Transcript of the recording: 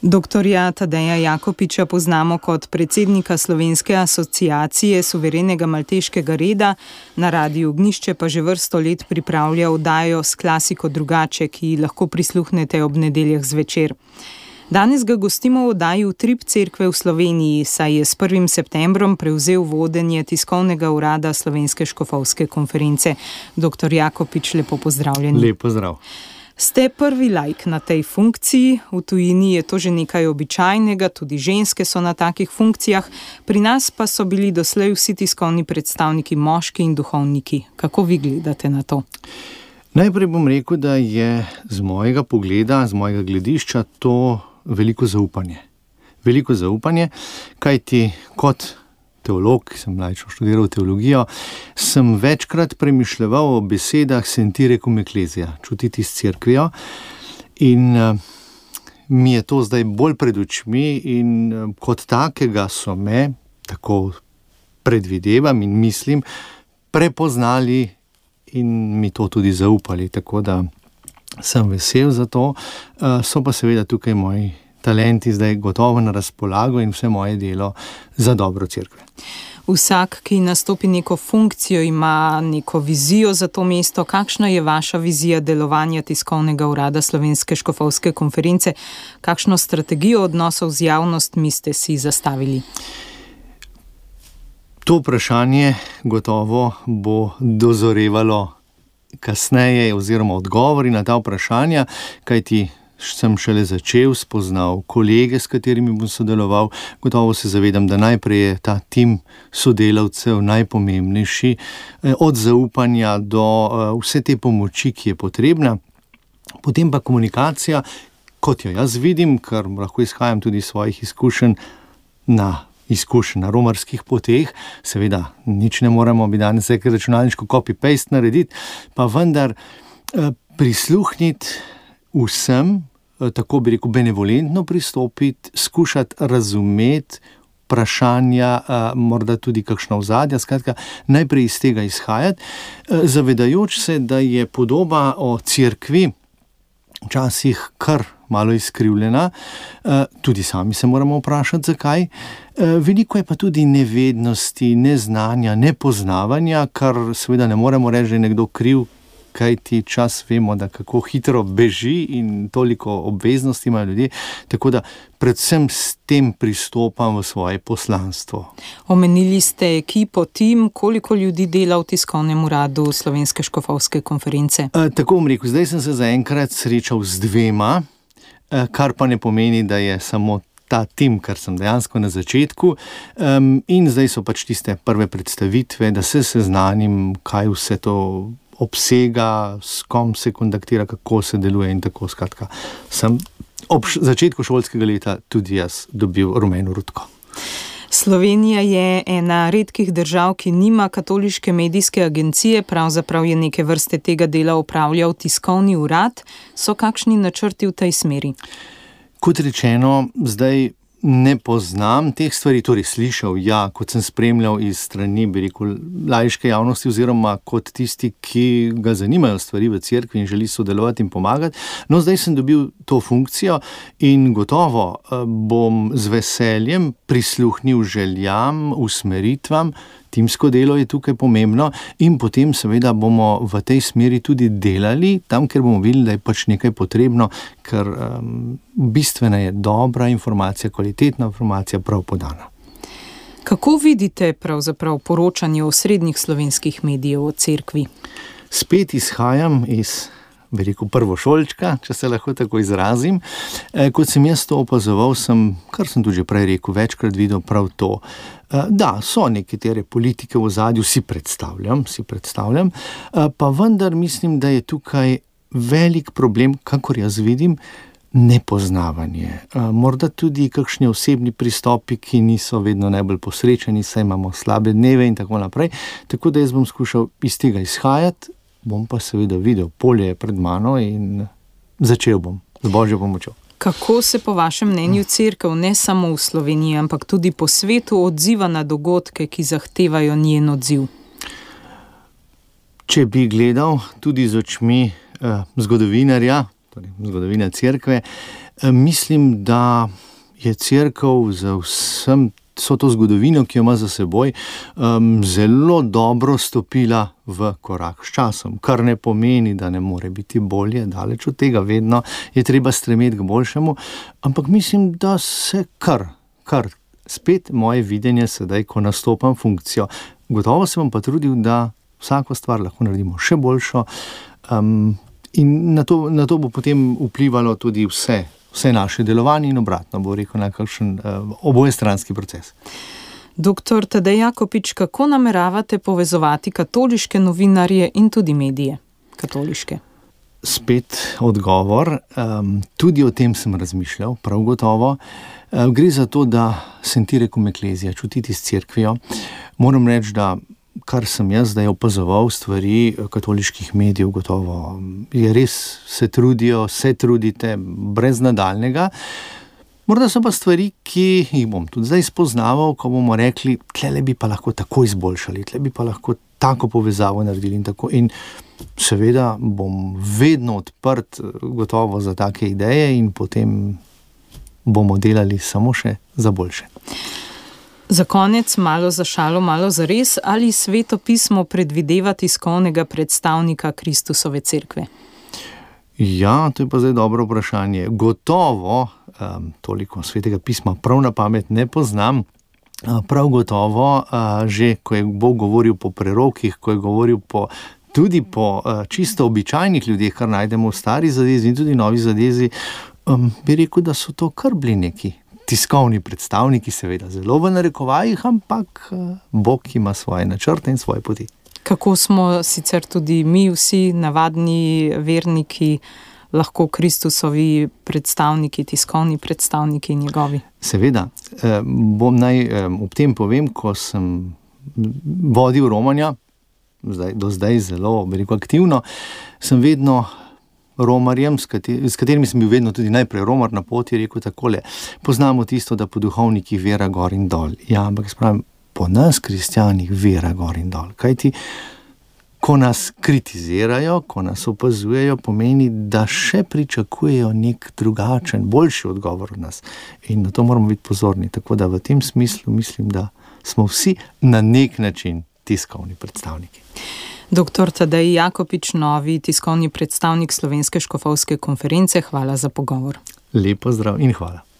Doktorja Tadeja Jakopiča poznamo kot predsednika Slovenske asociacije suverenega malteškega reda, na Radiu Ognjišče pa že vrsto let pripravlja oddajo S klasiko drugače, ki lahko prisluhnete ob nedeljah zvečer. Danes ga gostimo v oddaji Utrip cerkve v Sloveniji, saj je s 1. septembrom prevzel vodenje tiskovnega urada Slovenske škofovske konference. Doktor Jakopič, lepo pozdravljeni. Lep pozdrav. Ste prvi laik na tej funkciji, v tujini je to že nekaj običajnega, tudi ženske so na takih funkcijah, pri nas pa so bili doslej vsi tiskovni predstavniki moški in duhovniki. Kako vi gledate na to? Najprej bom rekel, da je z mojega pogleda, z mojega gledišča to veliko zaupanje. Veliko zaupanje, kajti kot teolog, ki sem laično študiral teologijo, sem večkrat premišljeval o besedah sentire cum ecclesia, čutiti s cerkvijo, in mi je to zdaj bolj pred očmi in kot takega so me, tako predvidevam in mislim, prepoznali in mi to tudi zaupali, tako da sem vesel za to. So pa seveda tukaj moji talenti zdaj gotovo na razpolago in vse moje delo za dobro cerkve. Vsak, ki nastopi neko funkcijo, ima neko vizijo za to mesto. Kakšna je vaša vizija delovanja tiskovnega urada Slovenske škofovske konference? Kakšno strategijo odnosov z javnostmi ste si zastavili? To vprašanje gotovo bo dozorevalo kasneje oziroma odgovori na ta vprašanja, kajti sem šele začel, spoznal kolege, s katerimi bom sodeloval. Gotovo se zavedam, da najprej je ta tim sodelavcev najpomembnejši, od zaupanja do vse te pomoči, ki je potrebna. Potem pa komunikacija, kot jo jaz vidim, ker lahko izhajam tudi iz svojih izkušenj na romarskih poteh. Seveda, nič ne moremo bi danes rekel računalniško copy-paste narediti, pa vendar prisluhniti vsem, tako bi rekel, benevolentno pristopiti, skušati razumeti vprašanja, morda tudi kakšna ozadja, skratka, najprej iz tega izhajati, zavedajoč se, da je podoba o cerkvi včasih kar malo izkrivljena, tudi sami se moramo vprašati, zakaj. Veliko je pa tudi nevednosti, neznanja, nepoznavanja, kar seveda ne moremo reči, da je nekdo kriv, kajti čas vemo, da kako hitro beži in toliko obveznosti imajo ljudje, tako da predvsem s tem pristopam v svoje poslanstvo. Omenili ste ekipo, tim, koliko ljudi dela v tiskovnem uradu Slovenske škofovske konference? Tako bom rekel, zdaj sem se zaenkrat srečal z 2, kar pa ne pomeni, da je samo ta tim, kar sem dejansko na začetku, in zdaj so pač tiste prve predstavitve, da se seznanim, kaj vse to obsega, s kom se kontaktira, kako se deluje in tako, skratka. Sem ob začetku šolskega leta tudi jaz dobil rumeno rutko. Slovenija je ena redkih držav, ki nima katoliške medijske agencije, pravzaprav je neke vrste tega dela opravljal tiskovni urad. So kakšni načrti v tej smeri? Kot rečeno, zdaj ne poznam teh stvari, torej slišal, ja, kot sem spremljal iz strani, bi rekel, laiške javnosti oziroma kot tisti, ki ga zanimajo stvari v cerkvi in želi sodelovati in pomagati. No, zdaj sem dobil to funkcijo in gotovo bom z veseljem prisluhnil željam, usmeritvam. Timsko delo je tukaj pomembno in potem seveda bomo v tej smeri tudi delali, tam, kjer bomo videli, da je pač nekaj potrebno, ker bistvena je dobra informacija, kvalitetna informacija prav podana. Kako vidite pravzaprav poročanje osrednjih slovenskih medijev o cerkvi? Spet izhajam iz, bi rekel, prvošolčka, če se lahko tako izrazim. Kot sem jaz to opazoval, kar sem tudi že prej rekel, večkrat videl prav to. Da, so nekatere politike v ozadju, si predstavljam, pa vendar mislim, da je tukaj velik problem, kakor jaz vidim, nepoznavanje. Morda tudi kakšni osebni pristopi, ki niso vedno najbolj posrečeni, saj imamo slabe dneve in tako naprej. Tako da jaz bom skušal iz tega izhajati, bom pa seveda videl, polje je pred mano in začel bom z Božjo pomočjo. Kako se po vašem mnenju cerkev ne samo v Sloveniji, ampak tudi po svetu odziva na dogodke, ki zahtevajo njen odziv? Če bi gledal tudi z očmi zgodovinarja, torej zgodovina cerkve, Mislim, da je Cerkev z vso to zgodovino, ki jo ima za seboj, zelo dobro stopila v korak s časom, kar ne pomeni, da ne more biti bolje, daleč od tega, vedno je treba stremeti k boljšemu, ampak mislim, da se kar spet moje videnje sedaj, ko nastopam funkcijo. Gotovo se bom pa trudil, da vsako stvar lahko naredimo še boljšo, in na to bo potem vplivalo tudi vse naše delovanje in obratno, bo rekel, na kakšen obojestranski proces. Doktor Tadej Jakopič, kako nameravate povezovati katoliške novinarje in tudi medije katoliške? Spet odgovor, tudi o tem sem razmišljal, prav gotovo. Gre za to, da sentire cum ecclesia, čutiti s cerkvijo. Moram reči, da kar sem jaz zdaj opazoval stvari katoliških medijev, gotovo je res, se trudite brez nadaljnega. Morda so pa stvari, ki jih bom tudi zdaj spoznaval, ko bomo rekli, tle bi pa lahko tako izboljšali, tle bi pa lahko tako povezavo naredili in tako. In seveda bom vedno odprt gotovo za take ideje in potem bomo delali samo še za boljše. Za konec, malo za šalo, malo za res, ali Sveto pismo predvideva tiskovnega predstavnika Kristusove cerkve? Ja, to je pa zdaj dobro vprašanje. Gotovo, toliko Svetega pisma prav na pamet ne poznam, prav gotovo, že ko je Bog govoril po prerokih, ko je govoril tudi po čisto običajnih ljudeh, kar najdemo v Stari zavezi in tudi Novi zavezi, bi rekel, da so to kar bili neki tiskovni predstavniki, seveda zelo v narekovajih, ampak Bog ima svoje načrte in svoje poti. Kako smo sicer tudi mi vsi navadni verniki lahko Kristusovi predstavniki, tiskovni predstavniki njegovi? Seveda. Naj ob tem povem, ko sem vodil romanja, do zdaj zelo, bi rekel, aktivno, sem vedno romarjem, s katerimi sem bil vedno tudi najprej romar na poti, rekel takole: poznamo tisto, da po duhovnikih vera gor in dol. Ja, ampak spravim, po nas, kristjanih, vera gor in dol. Kajti, ko nas kritizirajo, ko nas opazujejo, pomeni, da še pričakujejo nek drugačen, boljši odgovor od nas. In na to moramo biti pozorni. Tako da v tem smislu mislim, da smo vsi na nek način tiskovni predstavniki. Doktor Tadej Jakopič, novi tiskovni predstavnik Slovenske škofovske konference, hvala za pogovor. Lep pozdrav in hvala.